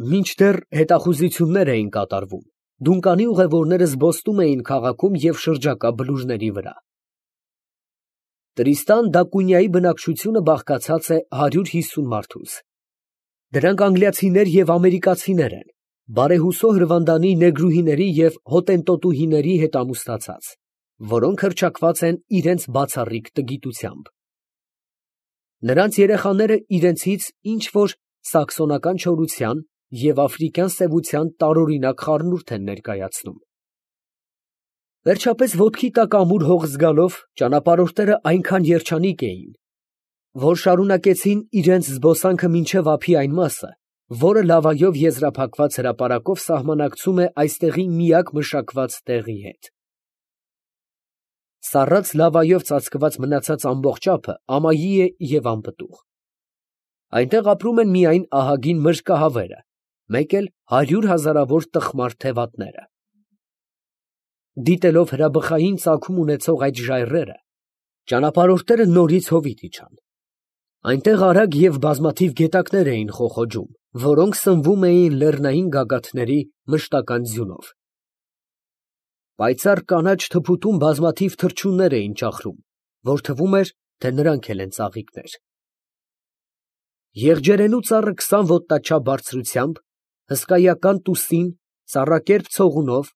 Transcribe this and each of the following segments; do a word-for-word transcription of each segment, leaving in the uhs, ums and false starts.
Մինչդեռ հետախուզություններ էին կատարվում, Դունկանի ուղևորները զբոսնում էին քաղաքում և շրջակա բլուրների վրա։ Տրիստան դա Կունյայի բնակչությունը բաղկացած է հարյուր հիսուն մարդուց։ Դրանք անգլիացիներ և ամերիկացիներ են, բարեհուսո հրվանդանի նեգրուհիների և հոտենտոտուհիների հետ ամուսնացած, որոնք հռչակված են իրենց բացառիկ տգիտությամբ։ Նրանց երեխաները իրենցից ինչ֊որ սաքսոնական չորության և աֆրիկյան սևության տարօրինակ խառնուրդ են ներկայացնում։ Վերջապես ոտքի տակ ամուր հող զգալով ճանապարհորդները այնքան երջանիկ էին, որ շարունակեցին իրենց զբոսանքը մինչև ափի այն մասը, որը լավայով եզրափակված հրապարակով սահմանակցում է այստեղի միակ մշակված տեղի հետ։ Սառած լավայով ծածկված մնացած ամբողջ ափը ամայի է և անպտուղ։ Այնտեղ ապրում են միայն ահագին մրրկահավերը, մեկ էլ հարյուր հազարավոր տխմար թևատները։ Դիտելով հրաբխային ծագում ունեցող այդ ժայռերը, ճանապարհորդները նորից հովիտ իջան։ Այնտեղ արագ և բազմաթիվ գետակներ էին խոխոջում, որոնք սնվում էին լեռնային գագաթների մշտական ձյունով։ Պայծառ կանաչ թփուտում բազմաթիվ թռչուններ էին ճախրում, որ թվում էր, թե նրանք էլ են ծաղիկներ։ Եղջերենու ծառը քսան ոտնաչափ բարձրությամբ, հսկայական տուսին, ծառակերպ ցողունով,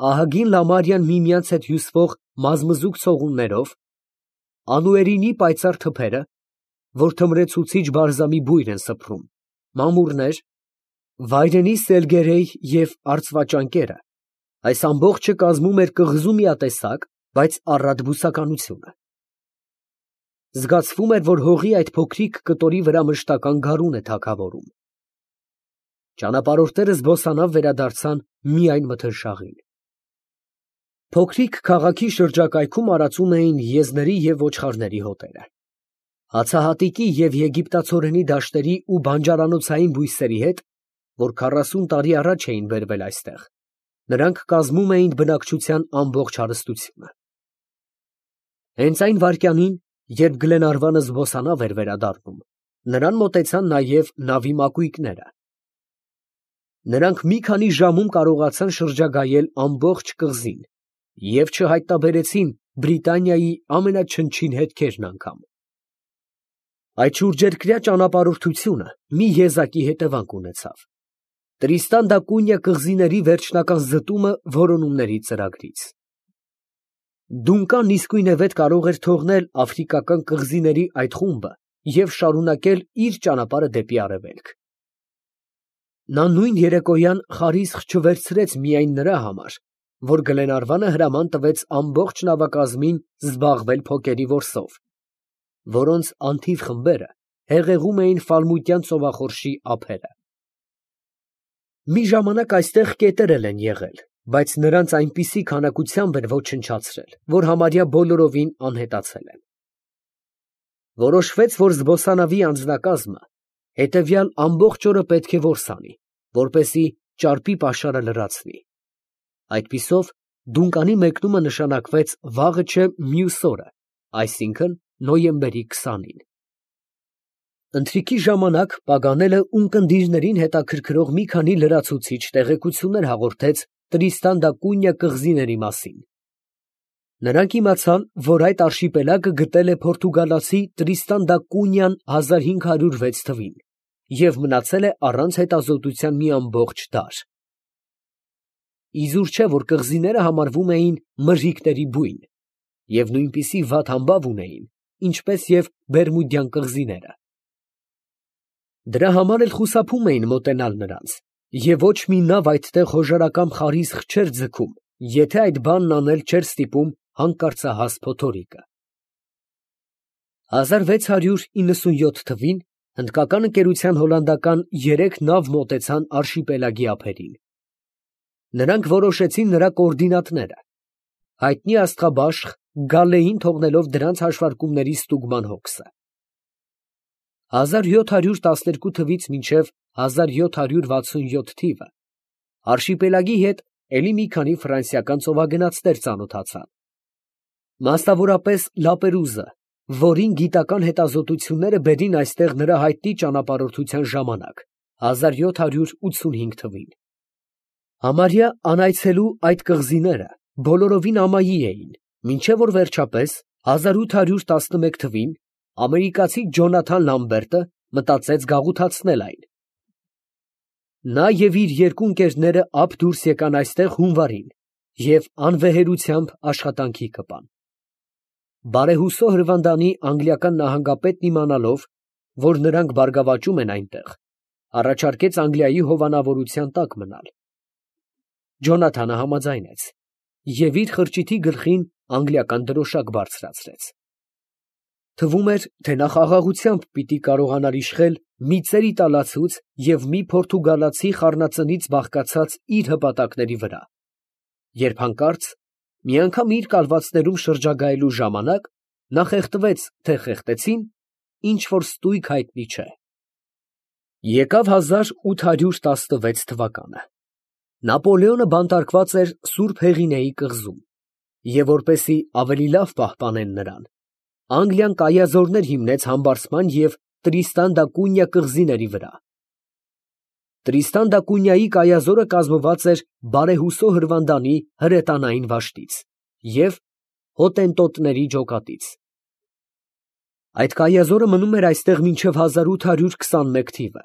ահագին լամարյան միմյանց հետ հյուսվող մազմզուկ ցողուններով, անուերինի պայծառ թփերը, որ թմրեցուցիչ բարզամի բույր են սփռում, մամուռներ, վայրենի սելգերեյ և արծվաճանկերը, այս ամբողջը կազմում էր կղզու միատեսակ, բայց առատ բուսականությունը։ Զգացվում էր, որ հողի այդ փոքրիկ կտորի վրա մշտական գարուն է թագավորում։ Ճանապարհորդները զբոսանավ վերադարձան միայն մթնշաղին։ Փոքրիկ քաղաքի շրջակայքում արածում էին եզների և ոչխարների հոտերը։ Հացահատիկի և եգիպտացորենի դաշտերի ու բանջարանոցային բույսերի հետ, որ քառասուն տարի առաջ էին բերվել այստեղ, նրանք կազմում էին բնակչության ամբողջ հարստությունը։ Հենց այն վայրկյանին, երբ Գլենարվանը զբոսանավ էր վերադառնում, նրան մոտեցան նաև նավի մակույկները։ Նրանք մի քանի ժամում կարողացան շրջագայել ամբողջ կղզին և չհայտնաբերեցին Բրիտանիայի ամենաչնչին հետքերն անգամ։ Այդ շուրջերկրյա ճանապարհորդությունը մի եզակի հետևանք ունեցավ. Տրիստան դա Կունյա կղզիների վերջնական զտումը որոնումների ծրագրից։ Դունկան իսկույնևեթ կարող էր թողնել աֆրիկական կղզիների այդ խումբը և շարունակել իր ճանապարհը դեպի արևելք։ Նա նույն երեկոյան խարիսխ չվերցրեց միայն նրա համար, որ Գլենարվանը հրաման տվեց ամբողջ նավակազմին զբաղվել փոկերի որսով, որոնց անթիվ խմբերը հեղեղում էին ֆալմուտյան ծովախորշի ափերը։ Մի ժամանակ այստեղ կետեր են եղել, բայց նրանց այնպիսի քանակությամբ էր ոչնչացրել, որ համարյա բոլորովին անհետացել են։ Որոշվեց, որ զբոսանավի անձնակազմը հետևյալ ամբողջ օրը պետք է որս անի, որպեսզի ճարպի պաշարը լրացնի։ Այդպիսով Դունկանի մեկնումը նշանակվեց վաղը չէ մյուս օրը, այսինքն նոյեմբերի քսանին։ Ընթրիքի ժամանակ Պագանելը ունկնդիրներին հետաքրքրող մի քանի լրացուցիչ տեղեկություններ հաղորդեց Տրիստան դա Կունյա կղզիների մասին։ Նրանք իմացան, որ այդ արշիպելագը գտել է պորտուգալացի Տրիստան դա Կունյան հազար հինգ հարյուր վեց թվին և մնացել է առանց հետազոտության մի ամբողջ դար։ Իզուր չէ, որ կղզիները համարվում էին մրրիկների բույն և նույնպիսի վատ համբավ ունեին, ինչպես և Բերմուդյան կղզիները։ Դրա համար էլ խուսափում էին մոտենալ նրանց, և ոչ մի նավ այդտեղ հոժարակամ խարիսխ չէր ձգում, եթե այդ բանն անել չէր ստիպում հանկարծահաս փոթորիկը։ հազար վեց հարյուր իննսունյոթ թվին հնդկական ընկերության հոլանդական երեք նավ մոտեցան արշիպելագի ափերին։ Նրանք որոշեցին նրա կոորդինատները, հայտնի աստղաբաշխ Գալլեին թողնելով դրանց հաշվարկումների ստուգման հոգսը։ հազար յոթ հարյուր տասներկու թվից մինչև հազար յոթ հարյուր վաթսունյոթ թիվը արշիպելագի հետ էլի մի քանի ֆրանսիական ծովագնացներ ծանոթացան, մասնավորապես Լապերուզը, որին գիտական հետազոտությունները բերին այստեղ նրա հայտնի ճանապարհորդության ժամանակ, հազար յոթ հարյուր ութսունհինգ թվին։ Համարյա անայցելու այդ կղզիները բոլորովին ամայի էին, մինչև որ վերջապես հազար ութ հարյուր տասնմեկ թվին ամերիկացի Ջոնաթան Լամբերտը մտածեց գաղութացնել այն։ Նա և իր երկու ընկերները ափ դուրս եկան այստեղ հունվարին և անվեհերությամբ աշխատանքի կպան։ Բարեհուսո հրվանդանի անգլիական նահանգապետն իմանալով, որ նրանք բարգավաճում են այնտեղ, առաջարկեց Անգլիայի հովանավորության տակ մնալ։ Ջոնաթանը համաձայնեց և իր խրճիթի գլխին անգլիական դրոշակ բարձրացրեց։ Թվում էր, թե նա խաղաղությամբ պիտի կարողանար իշխել մի ծեր֊իտալացուց և մի պորտուգալացի խառնածնից բաղկացած իր հպատակների վրա, երբ հանկարծ մի անգամ իր կալվածներում շրջագայելու ժամանակ նա խեղդվեց, թե խեղդեցին, ինչ֊որ ստույգ հայտնի չէ։ Եկավ հազար ութ հարյուր տասնվեց թվականը։ Նապոլեոնը բանտարկված էր Սուրբ Հեղինեի կղզում, և որպեսզի ավելի լավ պահպանեն նրան, Անգլիան կայազորներ հիմնեց Համբարձման և Տրիստան դա Կունյա կղզիների վրա։ Տրիստան դա Կունյայի կայազորը կազմված էր Բարեհուսո հրվանդանի հրետանային վաշտից և հոտենտոտների ջոկատից։ Այդ կայազորը մնում էր այստեղ մինչև հազար ութ հարյուր քսանմեկ թիվը,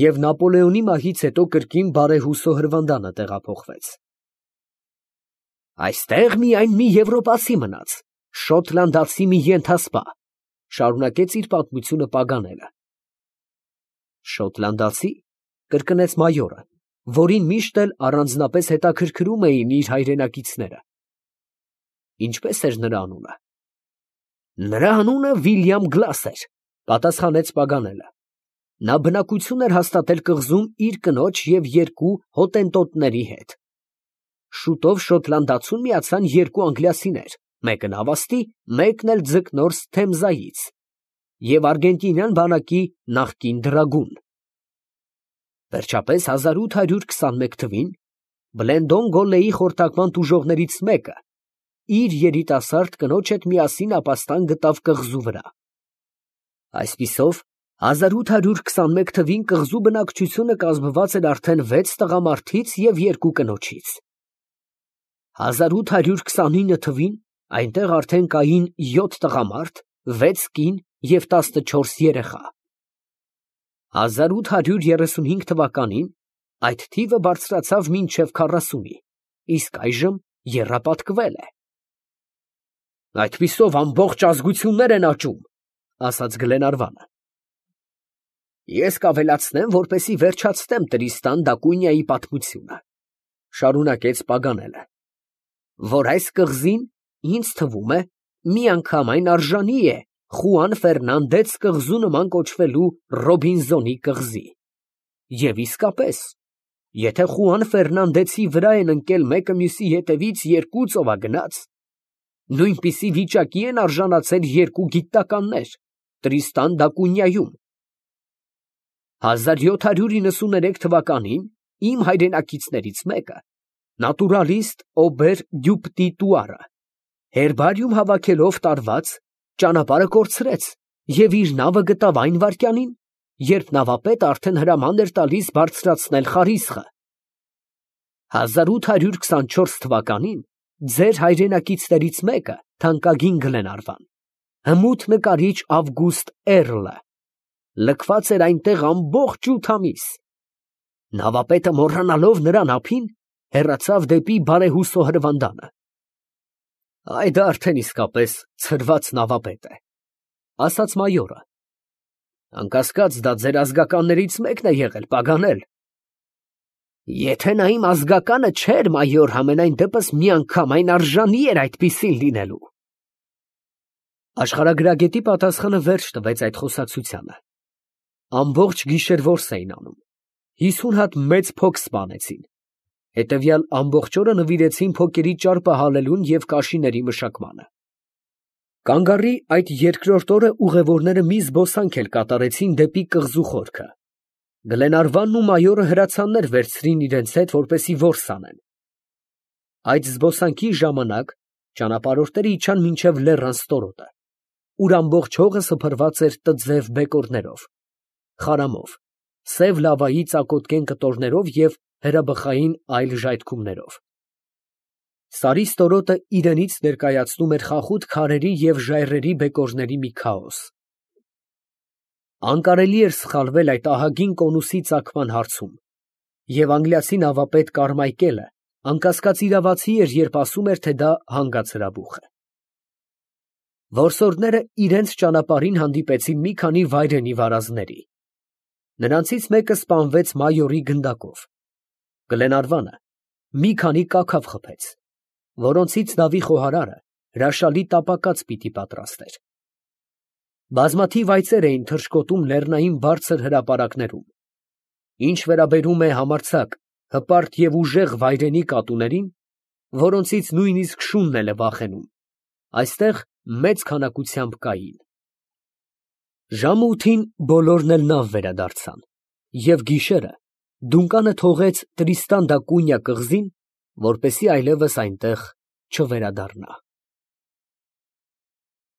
և Նապոլեոնի մահից հետո կրկին Բարեհուսո հրվանդանը տեղափոխվեց։ «Այստեղ միայն մի եվրոպացի մնաց, շոտլանդացի մի ենթասպա», ֊ շարունակեց իր պատմությունը Պագանելը։ «Շոտլանդացի», ֊ կրկնեց մայորը, որին միշտ էլ առանձնապես հետաքրքրում էին իր հայրենակիցները։ «Ինչպե՞ս էր նրա անունը»։ «Նրա անունը Վիլյամ Գլաս էր», ֊ պատասխանեց Պագանելը։ «Նա բնակություն էր հաստատել կղզում իր կնոջ և երկու հոտենտոտների հետ։ Շուտով Շոտլանդացուն միացան երկու անգլիացիներ, մեկը նավաստի, մեկն էլ ձկնորս Թեմզայից, և արգենտինյան բանակի նախկին դրագուն։ Վերջապես հազար ութ հարյուր քսանմեկ թվին Բլենդոն Գոլլեի խորհրդակման տուժողներից մեկը իր երիտասարդ կնոջ հետ միասին ապաստան գտավ կղզու վրա։ Այսպիսով, հազար ութ հարյուր քսանմեկ թվին կղզու բնակչությունը կազմված էր արդեն վեց տղամարդից և երկու կնոջից։ Հազար ութ հարյուր քսանինը թվին այնտեղ արդեն կային յոթ տղամարդ, վեց կին և տասնչորս երեխա։ Հազար ութ հարյուր երեսունհինգ թվականին այդ թիվը բարձրացավ մինչև քառասունի, իսկ այժմ եռապատկվել է։ «Այդպիսով ամբողջ ազգություններ են աճում», ֊ ասաց Գլենարվանը։ «Ես կավելացնեմ, որպեսզի վերջացնեմ Տրիստան դա Կունյայի պատմությունը», ֊ շարունակեց Պագանելը, «որ այս կղզին, ինձ թվում է, միանգամայն արժանի է Խուան Ֆերնանդեց կղզու նման կոչվելու Ռոբինզոնի կղզի։ Եվ իսկապես, եթե Խուան Ֆերնանդեցի վրա են ընկել մեկը մյուսի հետևից երկու ծովագնաց, նույնպիսի վիճակի են արժանացել երկու գիտնականներ Տրիստան դա Կունյայում։ Հազար յոթ հարյուր իննսուներեք թվականին իմ հայրենակիցներից մեկը, նատուրալիստ Օբեր Դյուպտի Տուարը, հերբարիում հավաքելով տարված, ճանապարհը կորցրեց և իր նավը գտավ այն վայրկյանին, երբ նավապետը արդեն հրաման էր տալիս բարձրացնել խարիսխը։ Հազար ութ հարյուր քսանչորս թվականին ձեր հայրենակիցներից մեկը, թանկագին Գլենարվան, հմուտ նկարիչ Ավգուստ Էռլը, լքված էր այնտեղ ամբողջ ութ ամիս։ Նավապետը մոռանալով նրան ափին, հեռացավ դեպի Բարեհուսո հրվանդանը։ Այ դա արդեն իսկապես ցրված նավապետ է, ֊ ասաց մայորը։ Անկասկած, դա ձեր ազգականներից մեկն է եղել, Պագանել։ Եթե նա իմ ազգականը չէր, մայոր, համենայն դեպս միանգամայն արժանի էր այդպիսին լինելու։ Աշխարհագրագետի պատասխանը վերջ տվեց այդ խոսակցությանը։ Ամբողջ գիշեր որս էին անում, հիսուն հատ մեծ փոք սպանեցին, հետևյալ ամբողջ օրը նվիրեցին փոքերի ճարպը հալելուն և կաշիների մշակմանը։ Կանգառի այդ երկրորդ օրը ուղևորները մի զբոսանք էլ կատարեցին դեպի կղզու խորքը։ Գլենարվանն ու մայորը հրացաններ վերցրին իրենց հետ, որպեսզի որս անեն։ Այդ զբոսանքի ժամանակ ճանապարհորդները իջան մինչև լեռան ստորոտը, ուր ամբողջ հողը սփռված էր տձև բեկորներով, խարամով, սև լավայի ծակոտկեն կտորներով և հրաբխային այլ ժայթքումներով։ Սարի ստորոտը իրենից ներկայացնում էր խախուտ քարերի և ժայռերի բեկորների մի քաոս։ Անկարելի էր սխալվել այդ ահագին կոնուսի ծագման հարցում, և անգլիացի նավապետ Կարմայկելը անկասկած իրավացի էր, երբ ասում էր, թե դա հանգած հրաբուխ է։ Որսորդները իրենց ճանապարհին հանդիպեցին մի քանի վայրենի վարազների։ Նրանցից մեկը սպանվեց մայորի գնդակով, Գլենարվանը մի քանի կաքավ խփեց, որոնցից նավի խոհարարը հրաշալի տապակած պիտի պատրաստեր։ Բազմաթիվ այծեր էին թռչկոտում լեռնային բարձր հրապարակներում։ Ինչ վերաբերում է համարձակ, հպարտ և ուժեղ վայրենի կատուներին, որոնցից նույնիսկ շունն էլ է վախենում, այստեղ մեծ քանակությամբ կային։ Ժամը ութին բոլորն էլ նավ վերադարձան, և գիշերը Դունկանը թողեց Տրիստան դա Կունյա կղզին, որպեսզի այլևս այնտեղ չվերադառնա։